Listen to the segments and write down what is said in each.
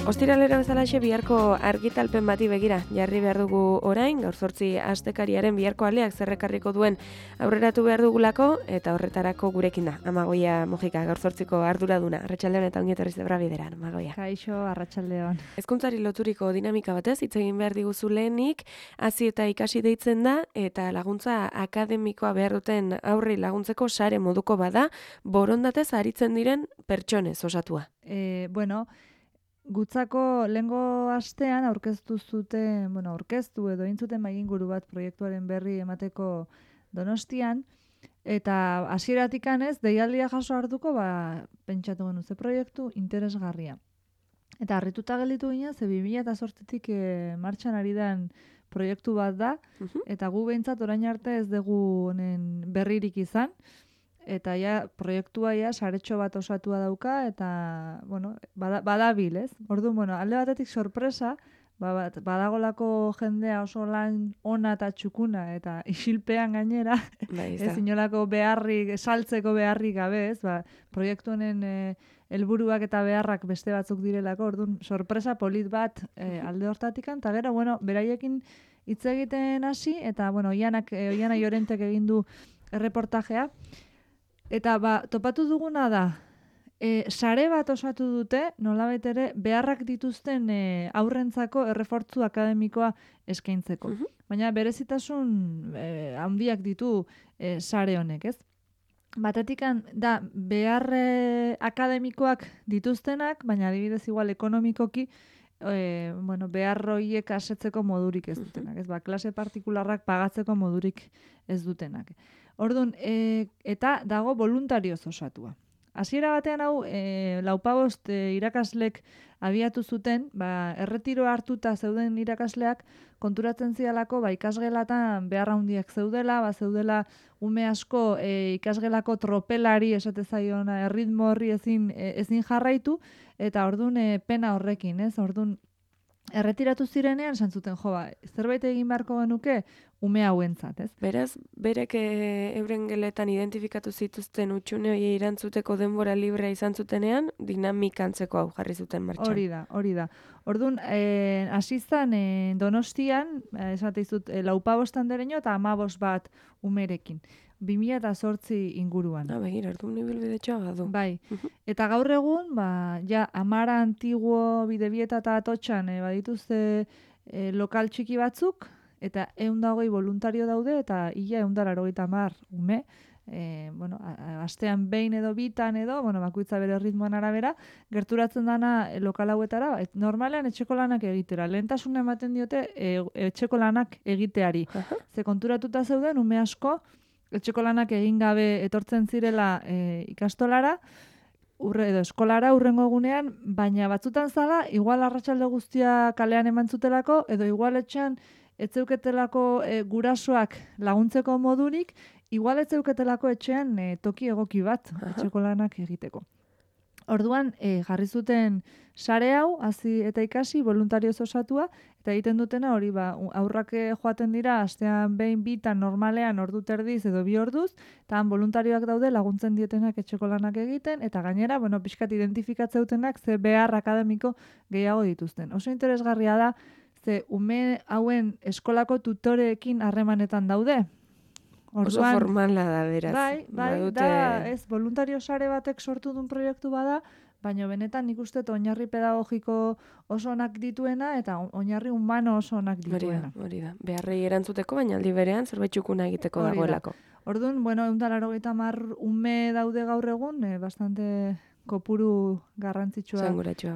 Ostiralera bezalaxe biharko argitalpen bati begira jarri behar dugu orain, gaur 8 astekariaren biharko aleak zerrekarriko duen aurreratu behar dugulako, eta horretarako gurekin da, Amagoia Mojika, gaur 8ko arduraduna. Arratsaldeon eta ongi etorri Zebra Bideran, Amagoia. Kaixo, arratsaldeon. Hezkuntzari loturiko dinamika batez hitz egin behar diguzu lehenik, hasi eta ikasi deitzen da, eta laguntza akademikoa behar duten aurri laguntzeko sare moduko bada, borondatez aritzen diren pertsonez osatua. Gutzako lehengo astean aurkeztu edo egin zuten mahainguru bat proiektuaren berri emateko Donostian, eta hasieratik ez deialdia jaso hartuko, pentsatu genuen ze proiektu interesgarria. Eta harrituta gelditu ginen, ze 2008tik martxan ari den proiektu bat da, eta gu behintzat orain arte ez dugu honen berririk izan, eta proiektua saretxo bat osatua dauka, eta, badabil, ez? Orduan, alde batetik sorpresa, badagolako jendea oso lan ona eta txukuna, eta isilpean gainera, ez inolako beharrik, saltzeko beharrik gabe, ez? Proiektu honen helburuak eta beharrak beste batzuk direlako, orduan, sorpresa polit bat alde hortatikan, eta gero, beraiekin hitz egiten hasi, eta, Oiana Jorentek egin du erreportajea, eta topatu duguna da, sare bat osatu dute, nolabait ere, beharrak dituzten aurrentzako errefortzu akademikoa eskaintzeko. Baina berezitasun handiak ditu sare honek, ez? Batetik da behar akademikoak dituztenak, baina adibidez igual ekonomikoki, behar horiek asetzeko modurik ez dutenak, ez? Klase partikularrak pagatzeko modurik ez dutenak. Orduan, eta dago voluntarioz osatua. Hasiera batean hau, 45 irakaslek abiatu zuten, erretiro hartuta zeuden irakasleak konturatzen zidalako, ikasgelatan beharra handiak zeudela, zeudela ume asko ikasgelako tropelari esate zaiona, erritmo horri ezin jarraitu, eta orduan pena horrekin, ez? Orduan, erretiratu zirenean, esan zuten, zerbait egin beharko genuke ume hauentzat, ez? Beraz, berek euren geletan identifikatu zituzten utxune hori irantzuteko denbora librea izan zutenean, dinamikantzeko hau jarri zuten martxan. Hori da. Orduan, hasi zen Donostian, esate izut, 45 dereño eta 15 bat umerekin. 2008 inguruan. Begira, orduan ibilbide txoa badu. Bai, eta gaur egun, Amara Antiguo Bidebieta eta Atotxan badituzte lokal txiki batzuk, eta 120 voluntario daude, eta ia 180 ume, astean behin edo bitan edo, bakoitza bere ritmoan arabera, gerturatzen dana lokal hauetara, normalean etxeko lanak egitera. Lehentasuna ematen diote etxeko lanak egiteari. Ze konturatuta zeuden, ume asko, etxeko lanak egin gabe etortzen zirela ikastolara, edo eskolara urrengo egunean, baina batzutan zala, igual arratsalde guztia kalean eman zutelako, edo igual etxean etzeuketelako gurasoak laguntzeko modurik, igual etzeuketelako etxean toki egoki bat etxeko lanak egiteko. Orduan, jarri zuten sare hau, hasi eta ikasi, voluntarioz osatua, eta egiten dutena hori aurrak joaten dira, astean behin bitan normalean ordu terdiz edo 2 orduz, eta voluntarioak daude laguntzen dietenak etxeko lanak egiten, eta gainera, pixkat identifikatzeutenak ze behar akademiko gehiago dituzten. Oso interesgarria da, ze ume hauen eskolako tutoreekin harremanetan daude. Oso formala da, beraz. Bai, da, ez, voluntario sare batek sortu duen proiektu bada, baina benetan nik uste oinarri pedagogiko oso onak dituena, eta oinarri humano oso onak dituena. Hori da, beharrei erantzuteko, baina aldi berean zerbait txukuna egiteko dagoelako. Orduan, 180 ume daude gaur egun, bastante kopuru garrantzitsua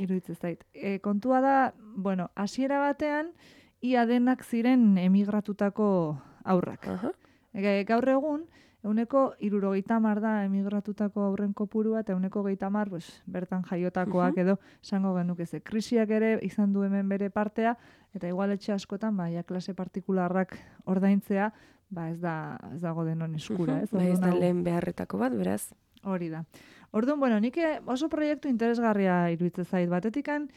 iruditzen zait. Kontua da, hasiera batean, ia denak ziren emigratutako aurrak. Gaur egun, 70% da emigratutako aurren kopurua, eta 20% bertan jaiotakoak edo esango genuke ze. Krisiak ere izan du hemen bere partea, eta igual etxe askotan, klase partikularrak ordaintzea, ez dago denon eskura. Ez da lehen beharretako bat, beraz. Hori da. Orduan, nik oso proiektu interesgarria iruditzen zait. Batetikan,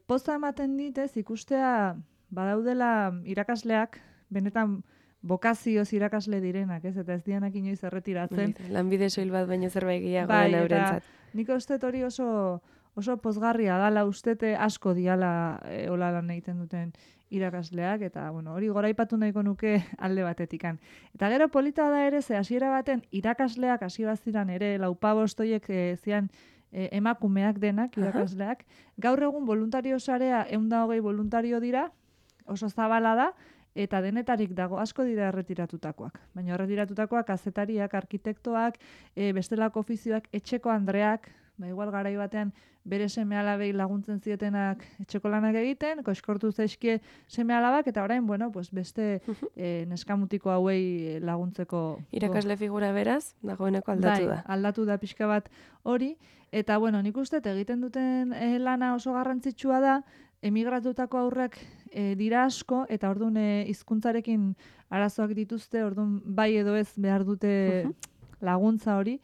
poza ematen ditez, ikustea badaudela irakasleak, benetan bokazioz irakasle direnak, ez? Eta ez dianak inoiz erretiratzen. Lanbide soil bat baino zerbait gehiago den eurentzat. Nik uste hori oso oso pozgarria dala ustete asko diala hola lan egiten duten irakasleak, eta bueno, hori goraipatu nahiko nuke alde batetikan. Eta gero polita da ere, ze hasiera baten irakasleak hasi baziran ere, laupabost horiek zian emakumeak denak, irakasleak. Gaur egun voluntario sarea 120 voluntario dira, oso zabala da, eta denetarik dago, asko dira erretiratutakoak. Baina erretiratutakoak kazetariak, arkitektoak, bestelako ofizioak, etxeko andreak, igual garai batean bere seme-alabei laguntzen zietenak etxeko lanak egiten, koiskortu zaizkie seme-alabak, eta orain, bueno, pues beste neskamutiko hauei laguntzeko. Irakasle figura beraz, dagoeneko aldatu da. Aldatu da pixka bat hori, eta bueno, nik uste egiten duten lana oso garrantzitsua da, emigratutako aurrak dira asko, eta orduan hizkuntzarekin arazoak dituzte, orduan bai edo ez behar dute laguntza hori.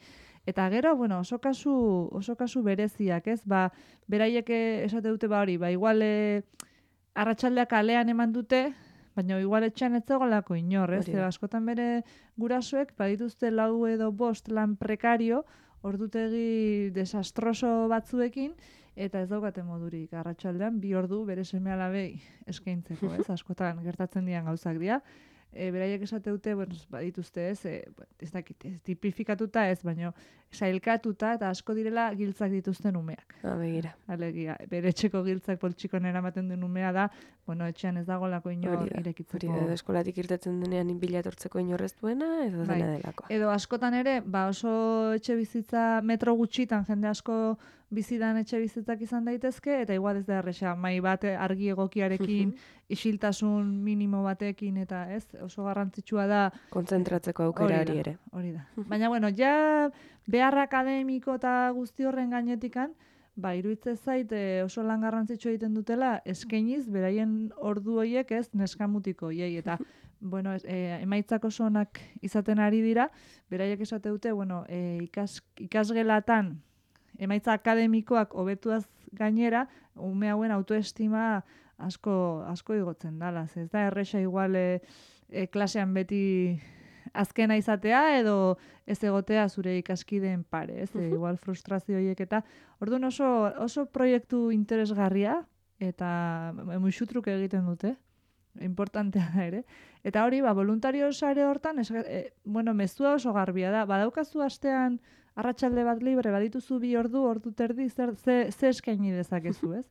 Eta gero, bueno, oso kasu bereziak, ez? Beraiek esate dute hori, igual arratsaldeak kalean eman dute, baina igual etxean ez zegoelako inor, ez? Askotan bere gurasoek badituzte 4 edo 5 lan prekario, ordutegi desastroso batzuekin, eta ez daukate modurik arratsaldean 2 ordu bere seme-alabei eskaintzeko, ez? Askotan gertatzen dian gauzak dira. Beraiek esate dute, bueno, badituzte ez dakit, tipifikatuta ez, baina sailkatuta eta asko direla giltzak dituzten umeak. Begira. Alegia, bere etxeko giltzak poltsikon eramaten den umea da, bueno, etxean ez dagoelako inor irekitzeko. Hori da, eskolatik irtetzen denean bila etortzeko inorrez duena, edo dena delako. Edo askotan ere, oso etxe bizitza metro gutxitan, jende asko bizidan etxe bizitzak izan daitezke, eta igual ez da erresa, mai bat argi egokiarekin, isiltasun minimo batekin, eta ez, oso garrantzitsua da. Kontzentratzeko aukerari ere. Hori da. Baina, bueno, ja behar akademiko eta guzti horren gainetikan, iruditzen zait oso lan garrantzitsua egiten dutela, eskainiz, beraien ordu horiek ez, neskamutiko horiei, eta bueno, emaitzak oso onak izaten ari dira, beraiek esate dute, bueno, ikasgelatan, emaitza akademikoak hobetuaz gainera, ume hauen autoestima asko igotzen dala. Ez da erresa igual klasean beti azkena izatea edo ez egotea zure ikaskideen pare, ez? Igual frustrazio horiek eta orduan oso proiektu interesgarria eta muixutruk egiten dute. Importantea da ere. Eta hori, voluntario sare hortan, bueno, mezua oso garbia da. Badaukazu astean arratsalde bat libre, badituzu 2 ordu terdi, ze eskaini dezakezu, ez?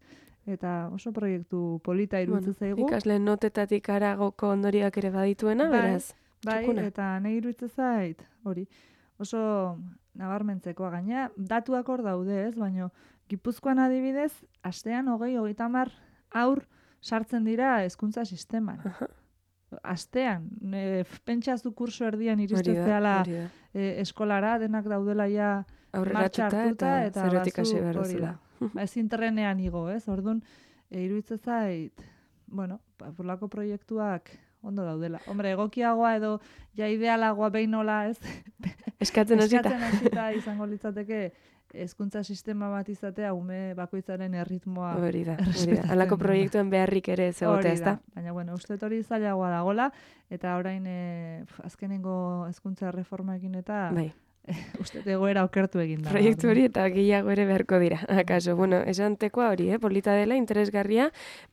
Eta oso proiektu polita iruditzen zaigu. Ikasle notetatik aragoko ondorioak ere badituena, beraz. Bai, eta nahi iruditzen zait, hori. Oso nabarmentzekoa gaina, datuak hor daude, ez? Baina Gipuzkoan adibidez, astean 20-30 haur sartzen dira hezkuntza sisteman. Astean, pentsazu kurso erdian iristen zehala eskolara, denak daudela ja martxartuta eta zerotik hasi behar duzula. Ezin trenean igo, ez? Orduan, iruditzen zait, bueno, porlako proiektuak ondo daudela. Hombre, egokiagoa edo ja idealagoa behin-nola, ez? Eskatzen hasita izango litzateke hezkuntza sistema bat izatea ume bakoitzaren erritmoa. Hori da. Halako proiektuen beharrik ere ez egotea, ezta? Baina, bueno, uste hori zailagoa dagola, eta orain azkenengo hezkuntza reformaekin eta uste egoera okertu egin da. Proiektu hori eta gehiago ere beharko dira. Akaso, bueno, esantekoa hori, polita dela, interesgarria,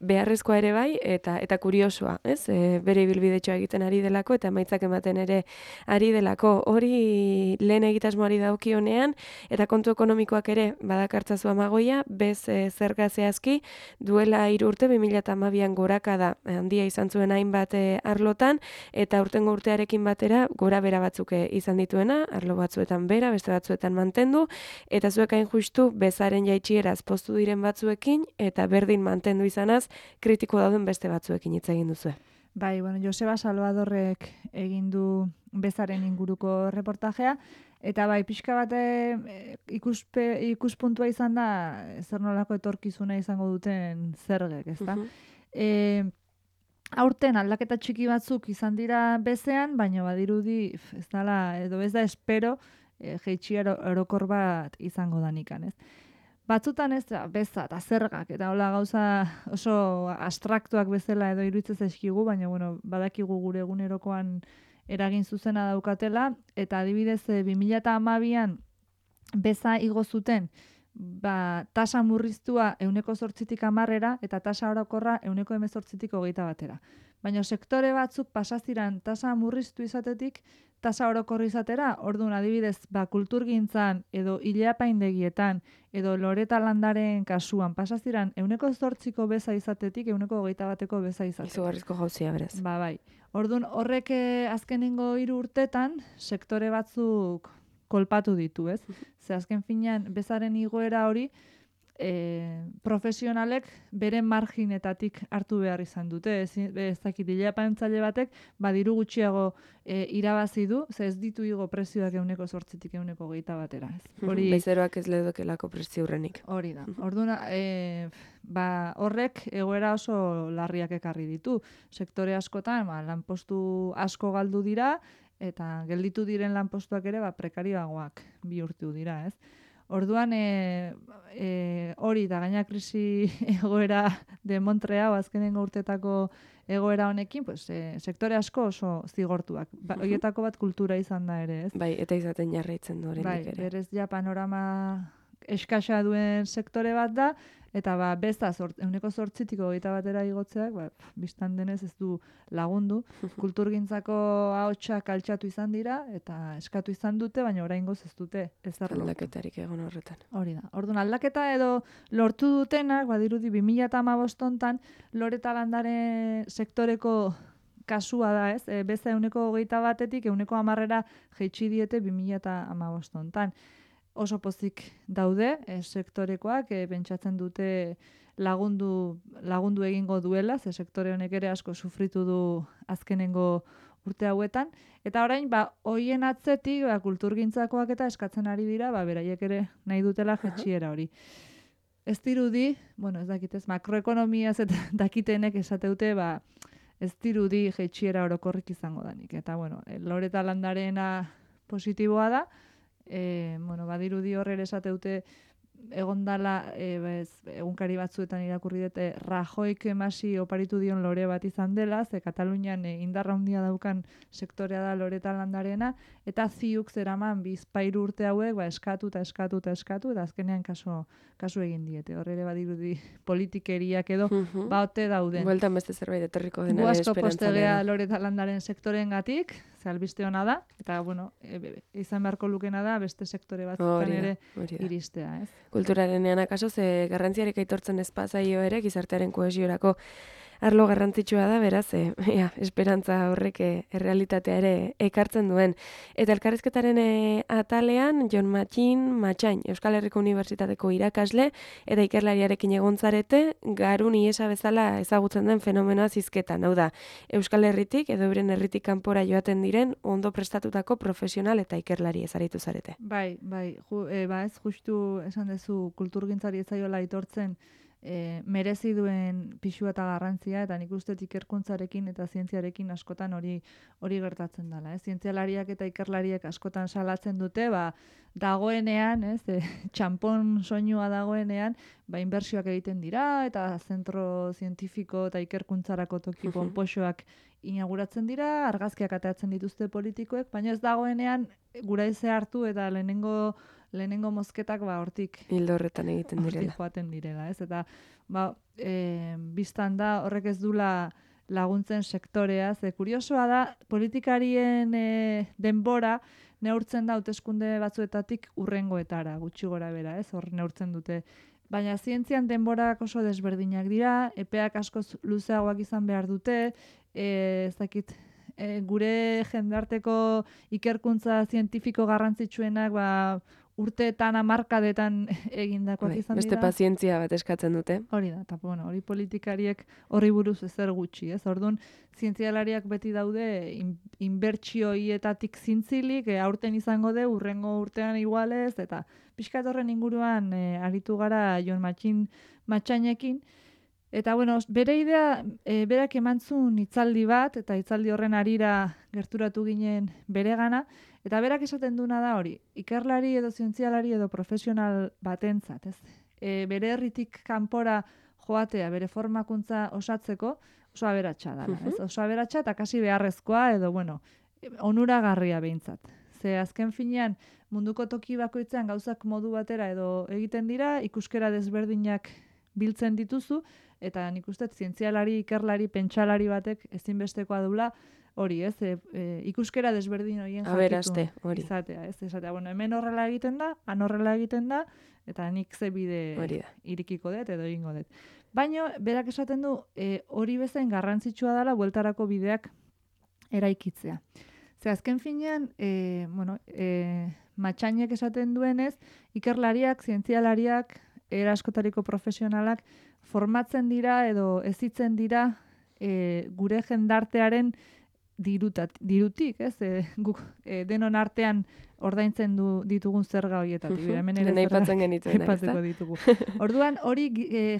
beharrezkoa ere bai, eta kuriosoa, ez? Bere ibilbidetxoa egiten ari delako, eta emaitzak ematen ere ari delako. Hori lehen egitasmoari daukionean, eta kontu ekonomikoak ere badakartzazu Amagoia, bez zerga zehazki, duela 3 urte, 2012an gorakada handia izan zuen hainbat arlotan, eta urtengo urtearekin batera gora bera batzuk izan dituena, arlo batzuetan bera, beste batzuetan mantendu, eta zuek hain justu bezaren jaitsieraz poztu diren batzuekin, eta berdin mantendu izanaz, kritiko dauden beste batzuekin hitz egin duzu. Bai, bueno, Joseba Salvadorrek egin du bezaren inguruko reportajea, eta bai, pixka bate ikuspuntua izan da, zer nolako etorkizuna izango duten zergek, ezta? Aurten aldaketa txiki batzuk izan dira bezean, baina badirudi ez da espero jeitsiera orokor bat izango danikan, ez? Batzutan ez, beza eta zergak, eta hola gauza oso abstraktuak bezala edo iruditzen zaizkigu, baina bueno, badakigu gure egunerokoan eragin zuzena daukatela, eta adibidez 2012an beza igo zuten tasa murriztua 8%-10%, eta tasa orokorra 18%-21%. Baina sektore batzuk pasaziran tasa murriztu izatetik, tasa orokorri izatera, orduan adibidez, kulturgintzan, edo ileapaindegietan, edo loreta landaren kasuan, pasaziran 8% beza izatetik, 21% beza izatetik. Izugarrizko jauzia, berez. Bai. Orduan, horrek azkenengo 3 urtetan, sektore batzuk kolpatu ditu, ez? Ze azken finean, bezaren igoera hori, profesionalek beren marginetatik hartu behar izan dute. Ez dakit, ileapaintzaile batek, diru gutxiago irabazi du, ze ez ditu igo prezioak 8%-tik 21%. Bezeroak ez ledokelako prezio hurrenik. Hori da. Orduan, horrek egoera oso larriak ekarri ditu. Sektore askotan, lanpostu asko galdu dira, eta gelditu diren lanpostuak ere prekarioagoak bihurtu dira, ez? Orduan, hori da, gaina krisi egoera de Montrea, azkenengo urtetako egoera honekin, sektore asko oso zigortuak. Horietako bat kultura izan da ere, ez? Bai, eta izaten jarraitzen du oraindik ere. Berez ja panorama eskasa duen sektore bat da, eta besta 8%-tik 21%-era igotzeak, bistan denez ez du lagundu. Kulturgintzako ahotsak altxatu izan dira, eta eskatu izan dute, baina oraingoz ez dute ezer lortu. Aldaketarik egon horretan. Hori da. Orduan, aldaketa edo lortu dutenak, badirudi 2015 hontan, loreta landare sektoreko kasua da, ez? Beza 21%-tik 110%-era jaitsi diete 2015 hontan. Oso pozik daude, sektorekoak, pentsatzen dute lagundu egingo duela, ze sektore honek ere asko sufritu du azkenengo urte hauetan, eta orain, hoien atzetik, kulturgintzakoak eta eskatzen ari dira, beraiek ere nahi dutela jetxiera hori. Ez dirudi, ez dakitez, makroekonomiaz eta dakitenek esateute, ez dirudi jetxiera orokorrik izango danik. Eta, loreta landarena positiboa da, badirudi horre esateute egon dala, egunkari batzuetan irakurri dute, Rajoik emasi oparitu dion lore bat izan dela, ze Katalunian indarra handia daukan sektorea da loreta landarena, eta ziuk zeraman bizpairu urte hauek eskatu, eta azkenean kasu egin diete. Horre badirudi politikeriak edo baute dauden. Bueltan beste zerbait etorriko denare esperantza. Guasko postegea lehen. loreta landaren sektoren gatik, ze albiste hona da, eta izan beharko lukena da beste sektore batzutan ere iristea, ez? Kulturarenean akaso, ze garrantziarik aitortzen espazaio ere, gizartearen kohesiorako arlo garrantzitsua da, beraz, esperantza horrek errealitatea ere ekartzen duen. Eta elkarrizketaren atalean, Jon Matxain, Euskal Herriko Unibertsitateko irakasle, eta ikerlariarekin egontzarete, garun iesa bezala ezagutzen den fenomenoa zizketan. Hau da, Euskal Herritik edo euren herritik kanpora joaten diren ondo prestatutako profesional eta ikerlari ezaritu zarete. Bai, ez justu esan dezu kulturgintzari ezaiola aitortzen merezi duen pixua eta garrantzia, eta nik uste ikerkuntzarekin eta zientziarekin askotan hori gertatzen dela. Zientzialariak eta ikerlariak askotan salatzen dute, dagoenean, txampon soinua dagoenean, inbertsioak egiten dira, eta zentro zientifiko eta ikerkuntzarako toki ponpoxoak inauguratzen dira, argazkiak atatzen dituzte politikoek, baina ez dagoenean gura hartu eta lehenengo mozketak hortik hildo horretan egiten direla. Hortik joaten direla, ez? Eta biztan da horrek ez dula laguntzen sektorea, ze kuriosoa da politikarien denbora neurtzen da hauteskunde batzuetatik urrengoetara, gutxi gora bera, ez? Hor neurtzen dute. Baina zientzian denborak oso desberdinak dira, epeak asko luzeagoak izan behar dute, ez dakit, gure jendarteko ikerkuntza zientifiko garrantzitsuenak urteetan, hamarkadetan egindakoak izan dira. Beste pazientzia bat eskatzen dute. Hori da, eta hori politikariek horri buruz ezer gutxi, ez? Orduan, zientzialariak beti daude inbertsioietatik zintzilik, aurten izango de, urrengo urtean igualez, eta pixkat horren inguruan aritu gara Jon Matxainekin. Eta, bere idea, berak emantzun hitzaldi bat, eta hitzaldi horren harira gerturatu ginen bere gana, eta berak esaten duna da hori, ikerlari edo zientzialari edo profesional batentzat, ez? Bere herritik kanpora joatea, bere formakuntza osatzeko, oso aberatsa dela, ez? Oso aberatsa eta kasi beharrezkoa edo, onuragarria behintzat. Ze azken finean, munduko toki bakoitzean gauzak modu batera edo egiten dira, ikuskera desberdinak biltzen dituzu, eta nik uste zientzialari, ikerlari, pentsalari batek ezinbestekoa dula, hori, ez, ikuskera desberdin horien jakitun izatea, ez, esatea, bueno, hemen horrela egiten da, han horrela egiten da, eta nik ze bide irikiko dut edo egingo dut. Baina, berak esaten du, hori bezain garrantzitsua dela bueltarako bideak eraikitzea. Ze azken finean, Matxainek esaten duenez, ikerlariak, zientzialariak, eraskotariko profesionalak formatzen dira edo hezitzen dira gure jendartearen dirutik, ez? Guk denon artean ordaintzen ditugun zerga horietatik. Hemen ere aipatzen genituen, ditugu. Orduan, hori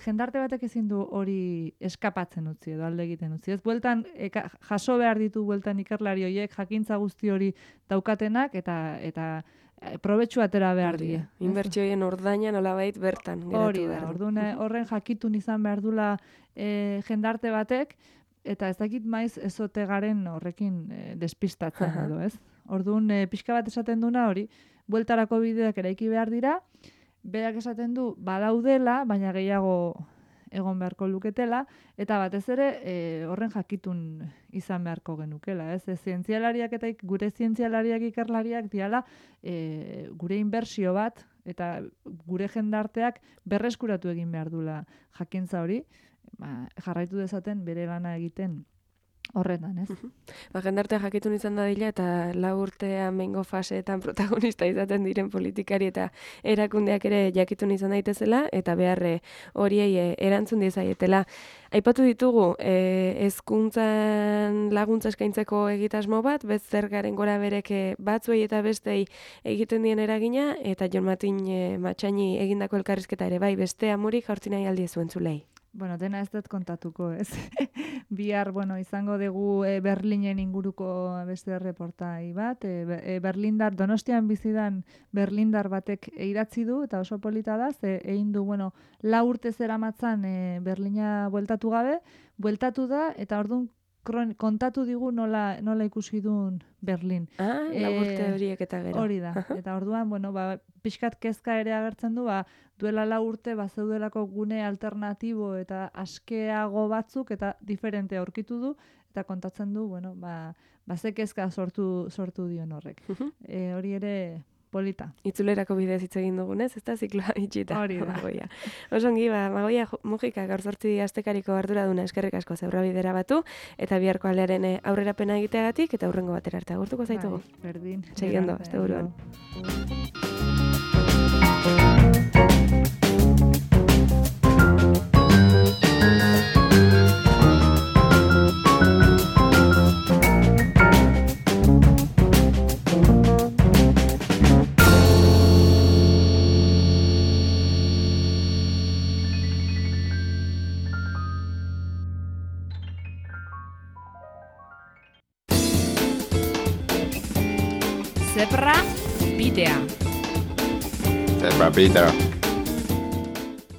jendarte batek ezin du hori eskapatzen utzi edo alde egiten utzi. Ez bueltan jaso behar ditu bueltan ikerlari horiek jakintza guzti hori daukatenak eta probetxu atera behar die. Inbertsioien ordaina nolabait bertan geratu behar. Orduan horren jakitun izan behar dula jendarte batek, eta ez dakit maiz ezote garen horrekin despistatzen edo, ez? Orduan, pixka bat esaten duna hori, bueltarako bideak eraiki behar dira, berak esaten du badaudela, baina gehiago egon beharko luketela, eta batez ere horren jakitun izan beharko genukela, ez? Zientzialariak eta gure zientzialariak ikerlariak diala gure inbertsio bat, eta gure jendarteak berreskuratu egin behar dula jakintza hori, jarraitu dezaten bere lana egiten horretan, ez? Jendarte jakitun izan da dila eta 4 urtean mengo faseetan protagonista izaten diren politikari eta erakundeak ere jakitun izan daitezela eta beharre horiei erantzun diezaietela. Aipatu ditugu, hezkuntzan laguntza eskaintzeko egitasmo bat, zergaren gora bereke batzuei eta bestei egiten dien eragina, eta Jon Matxaini egindako elkarrizketa ere bai, beste amurik jaurtzi nahi aldiezu entzulei. Bueno, dena ez dut kontatuko, ez? Bihar, izango dugu Berlinen inguruko beste reportai bat. Berlindar, Donostian bizidan Berlindar batek idatzi du, eta oso polita da, egin du, 4 urte zeramatzan Berlina bueltatu gabe, bueltatu da, eta orduan kontatu digu nola ikusi duen Berlin. 4 urte horiek eta gero. Hori da. Eta orduan, pixkat kezka ere agertzen du, duela 4 urte zeudelako gune alternatibo eta askeago batzuk eta diferente aurkitu du, eta kontatzen du, ze kezka sortu dion horrek. Hori ere polita. Itzulerako bidez hitz egin dugunez, ez da zikloa itxita. Hori da. Osongi, Magoia Mujika gaur 8 astekariko arduraduna eskerrik asko zeurra bidera batu, eta biharko alearen aurrerapena egiteagatik, eta hurrengo batera arte agurtuko zaitugu. Berdin. Segiendo, este buruan. Zebra bidea. Zebra bidea.